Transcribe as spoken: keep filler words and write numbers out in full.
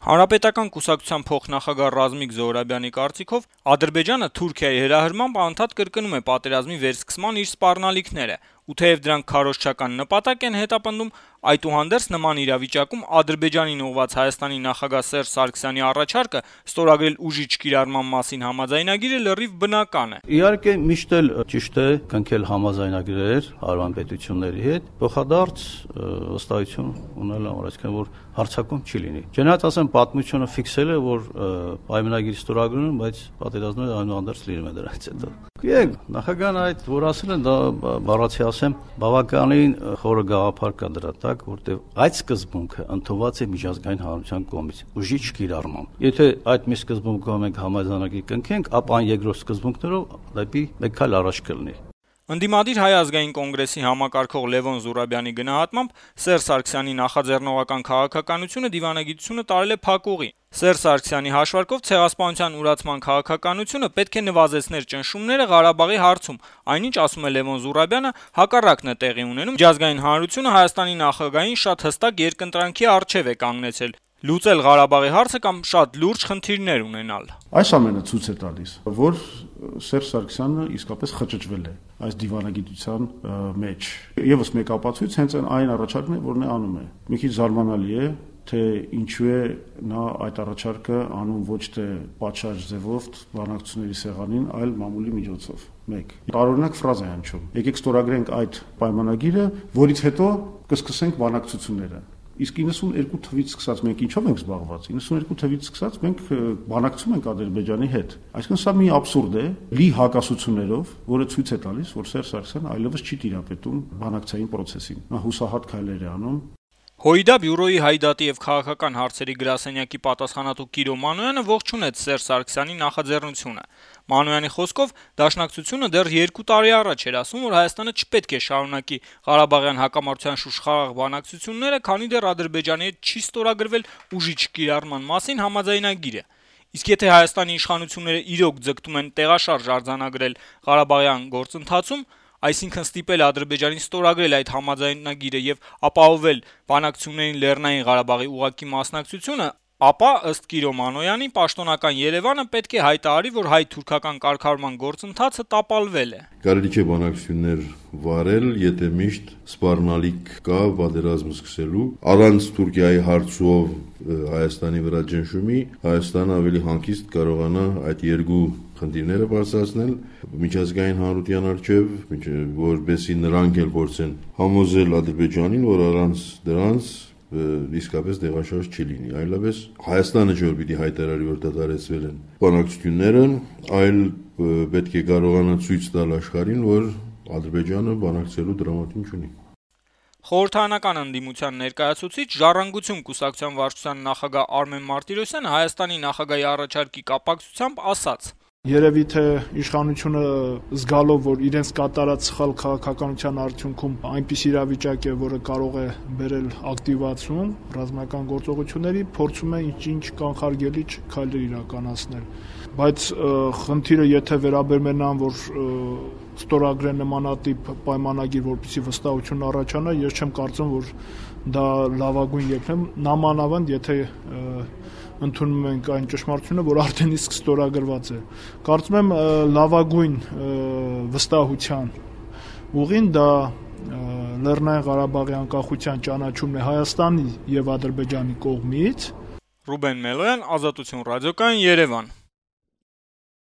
Հանրապետական կուսակցության փոխնախագահ Ռազմիկ Զոհրաբյանի կարծիքով Ադրբեջանը Թուրքիայի հրահրմամբ անդադ կրկնում է պատերազմի վերսկսման իր սպառնալիքները, ու թեև դրանք քարոզչական նպատակ են հետապնդում, այդուհանդերձ նման իրավիճակում Ադրբեջանին ուղղված Հայաստանի նախագահ Սերժ Սարգսյանի առաջարկը ստորագրել ուժի չկիրառման մասին համաձայնագիրը լրիվ բնական է։ Իհարկե միշտ էլ ճիշտ է կնքել համաձայնագրեր հարևան պետությունների հետ, փոխադարձ վստահություն ունենալ համար, այսինքն որ հարձակում չի լինի։ Չնայած ասեմ պատմությունը ֆիքսել է, որ պայմանագիր ստորագրում, բայց պատերազմները այնուհանդերձ լինում է դրանից հետո։ Եկ նախագահան այդ որ ասել են դա բառացի ասեմ բավականին խորը գաղափար կա դրա տակ, որտեղ այդ սկզբունքը ընդունված է միջազգային հանրության կողմից ուժի չկիրառմամբ։ Եթե այդ մի սկզբունքով մենք համաձայնագիր կնքենք, ապա այն երկրորդ սկզբունքներով դեպի մեկ քայլ առաջ կլինի։ Ընդդիմադիր Հայ ազգային կոնգրեսի համակարգող Լևոն Զուրաբյանի գնահատմամբ Սերժ Սարգսյանի նախաձեռնողական քաղաքականությունը դիվանագիտությունը տարել է փակուղի։ Սերժ Սարգսյանի հաշվարկով ցեղասպանության ուրացման քաղաքականությունը պետք է նվազեցներ ճնշումները Ղարաբաղի հարցում, այնինչ ասում է Լևոն Զուրաբյանը, հակառակն է տեղի ունենում, միջազգային հանրությունը Հայաստանի նախագահային շատ հստակ երկընտրանքի առջև է կանգնեցել լուծել Ղարաբաղի հարցը կամ շատ լուրջ խնդիրներ ունենալ։ Այս ամենը ցույց է տալիս, որ Սերժ Սարգսյանը իսկապես խճճվել է այս դիվանագիտության մեջ։ Եվս մեկ ապացույց հենց այն առաջարկն է, որն է անում է։ Մի քիչ զարմանալի է, թե ինչու է նա այդ առաջարկը անում ոչ թե պատշաճ ձևով բանակցությունների սեղանին, այլ մամուլի միջոցով։ Մեկ տարօրինակ ֆրազա է հնչում։ Եկեք ստորագրենք այդ պայմանագիրը, որից հետո կսկսենք բանակցությունները։ Իսկ իննսունհինգ թվից սկսած մենք ինչով ենք զբաղված։ իննսունհինգ թվից սկսած մենք բանակցում ենք Ադրբեջանի հետ։ Այսինքն սա մի աբսուրդ է, լի հակասություններով, որը ցույց է տալիս, որ Սերժ Սարգսյանը այլևս չի տիրապետում բանակցային process-ին։ Նա հուսահատ քայլեր է անում։ Հոյդա բյուրոյի հայդատի եւ քաղաքական հարցերի գրասենյակի պատասխանատու Կիրո Մանոյանը ողջունեց Սերժ Սարգսյանի նախաձեռնությունը։ Մանոյանի խոսքով դաշնակցությունը դեռ երկու տարի առաջ էր ասում, որ Հայաստանը չպետք է շարունակի Ղարաբաղյան հակամարտության շուշխաղաղ բանակցությունները, քանի դեռ Ադրբեջանի հետ չի ստորագրվել ուժի չկիրառման մասին համաձայնագիրը։ Իսկ եթե Հայաստանի իշխանությունները իրոք ձգտում են տեղաշարժ արձանագրել Ղարաբաղյան գործընթացում, այսինքն ստիպել Ադրբեջանին ստորագրել այդ համաձայնագիրը եւ ապահովել բանակցություններին Լեռնային Ղարաբաղի ուղղակի մասնակցությունը, ապա ըստ Կիրո Մանոյանի պաշտոնական Երևանը պետք է հայտարարի, որ հայ-թուրքական կարգավորման գործընթացը տապալվել է։ Կարելի չէ բանակցություններ վարել, եթե միշտ սպառնալիք կա պատերազմ սկսելու, առանց Թուրքիայի հարցով Հայաստանի վրա ճնշումի, Հայաստանը ավելի հանգիստ կարողանա այդ երկու խնդիրները բարձրացնել միջազգային հանրության առջև, որպեսզի նրանք էլ փորձեն համոզել Ադրբեջանին, որ առանց դրանց իսկապես տեղաշարժ չի լինի, այլապես Հայաստանը չէ որ պիտի հայտարարի, որ դադարեցվել են բանակցությունները, այլ պետք է կարողանա ցույց տալ աշխարհին, որ Ադրբեջանը բանակցելու դրամատուրգ չունի։ Խորհրդարանական ընդդիմության ներկայացուցիչ Ժառանգություն կուսակցության վարչության նախագահ Արմեն Մարտիրոսյանը Հայաստանի նախագահի առաջարկի կապակցությամբ ասաց. Երևի թե իշխանությունը զգալով, որ իրենց կատարած սխալ քաղաքականության արդյունքում այնպես իրավիճակ է, որը կարող է բերել ակտիվացում ռազմական գործողությունների, փորձում է ինչ-ինչ կանխարգելիչ քայլեր իրականացնել։ Բայց խնդիրը եթե վերաբերում է նրան, որ ստորագրեն նմանատիպ պայմանագիր, որպեսզի վստահություն առաջանա, ես չեմ կարծում, որ դա լավագույն ելքն է, նամանավանդ եթե ընդունում ենք այն ճշմարտությունը, որ արդեն իսկ ստորագրված է։ Կարծում եմ լավագույն վստահության ուղին դա Լեռնային Ղարաբաղի անկախության ճանաչումն է Հայաստանի եւ Ադրբեջանի կողմից։ Ռուբեն Մելոյան, Ազատություն ռադիոկայան, Երևան։